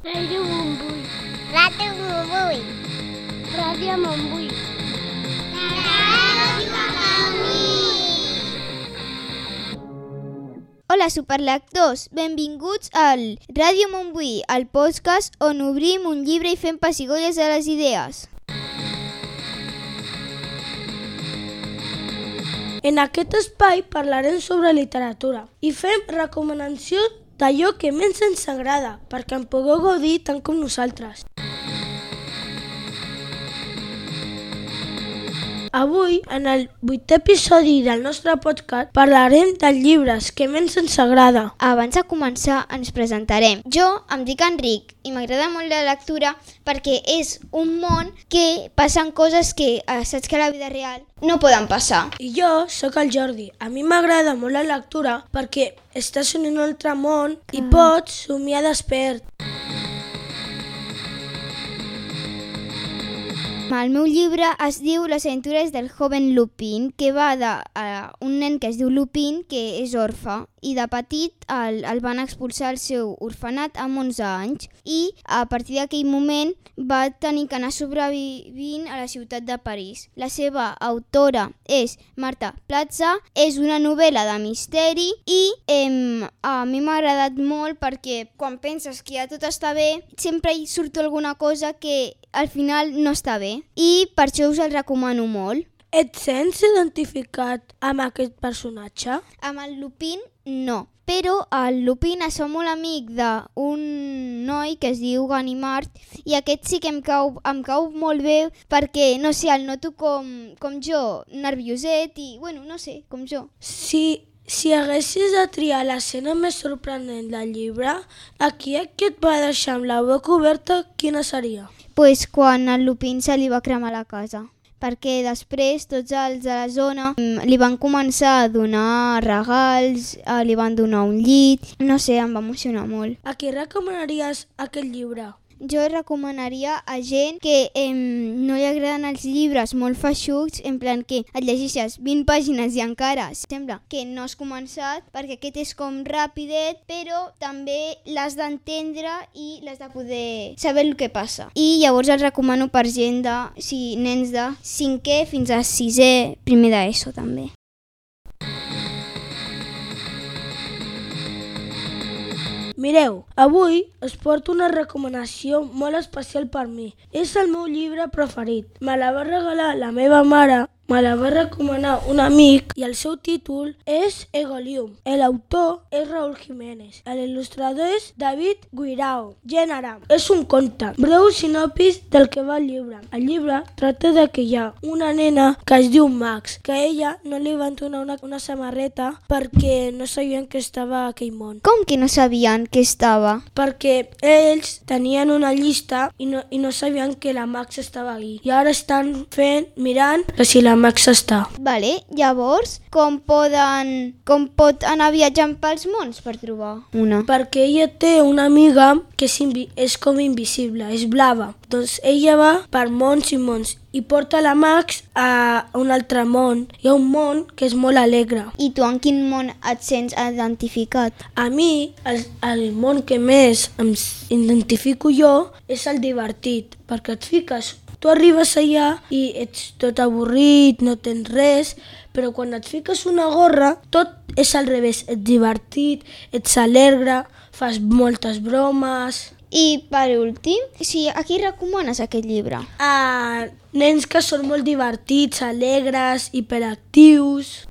Ràdio Montbui. Ràdio Montbui. Ràdio Montbui. Hola superlectors, benvinguts al Ràdio Montbui, el podcast on obrim un llibre i fem pessigolles a les idees. En aquest espai parlarem sobre literatura i fem recomanacions d'allò que més ens agrada perquè en pugueu gaudir tant com nosaltres. Avui, en el 8è episodi del nostre podcast, parlarem dels llibres que més ens agrada. Abans de començar ens presentarem. Jo em dic Enric i m'agrada molt la lectura perquè és un món que passen coses que saps que a la vida real no poden passar. I jo sóc el Jordi. A mi m'agrada molt la lectura perquè estàs en un altre món i pots somiar despert. El meu llibre es diu Les aventures del joven Lupin, que va d'un nen que es diu Lupin, que és orfe, i de petit el van expulsar al seu orfenat amb 11 anys i a partir d'aquell moment va tenir que anar sobrevivint a la ciutat de París. La seva autora és Marta Plaza, és una novel·la de misteri i a mi m'ha agradat molt perquè quan penses que ja tot està bé, sempre hi surt alguna cosa que al final no està bé i per això us el recomano molt. Et sents identificat amb aquest personatge? Amb el Lupin no, però el Lupin es fa molt amic d'un noi que es diu Ganimard i aquest sí que em cau molt bé perquè, no sé, el noto com jo, nervioset i, bueno, no sé, com jo. Si haguessis de triar l'escena més sorprenent del llibre, aquí que et va deixar amb la boca oberta, quina seria? Pues quan el Lupin se li va cremar la casa, perquè després tots els de la zona li van començar a donar regals, li van donar un llit, no sé, em va emocionar molt. A qui recomanaries aquest llibre? Jo recomanaria a gent que no li agraden els llibres molt feixucs, en plan que et llegeixes 20 pàgines i encara sembla que no has començat, perquè aquest és com rapidet, però també l'has d'entendre i l'has de poder saber el que passa. I llavors el recomano per gent nens de 5è fins a 6è, primer d'ESO també. Mireu, avui us porto una recomanació molt especial per mi. És el meu llibre preferit. Me la va regalar la meva mare, me la va recomanar un amic i el seu títol és Egolium. L'autor és Raúl Jiménez. L'il·lustrador és David Guirao. Gènere. És un conte. Breu sinopsis del que va el llibre. El llibre tracta de que hi ha una nena que es diu Max, que a ella no li van donar una samarreta perquè no sabien que estava a aquell món. Com que no sabien que estava? Perquè ells tenien una llista i no sabien que la Max estava ahí. I ara estan mirant que si la Max està. Vale, llavors, com pot anar viatjant pels mons per trobar una? Perquè ella té una amiga que és com invisible, és blava. Doncs ella va per mons i mons i porta la Max a un altre món. Hi ha un món que és molt alegre. I tu en quin món et sents identificat? A mi, el món que més em identifico jo és el divertit, perquè et fiques. Tu arribes allà i ets tot avorrit, no tens res, però quan et fiques una gorra, tot és al revés. Ets divertit, ets alegre, fas moltes bromes. I per últim, a qui recomanes aquest llibre? A nens que són molt divertits, alegres, hiperactius.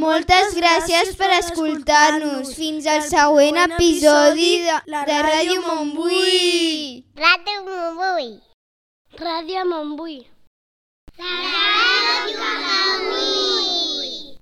Moltes gràcies per escoltar-nos. Fins al següent episodi de Ràdio Montbui. Ràdio Montbui. Ràdio Montbui. Ràdio Montbui.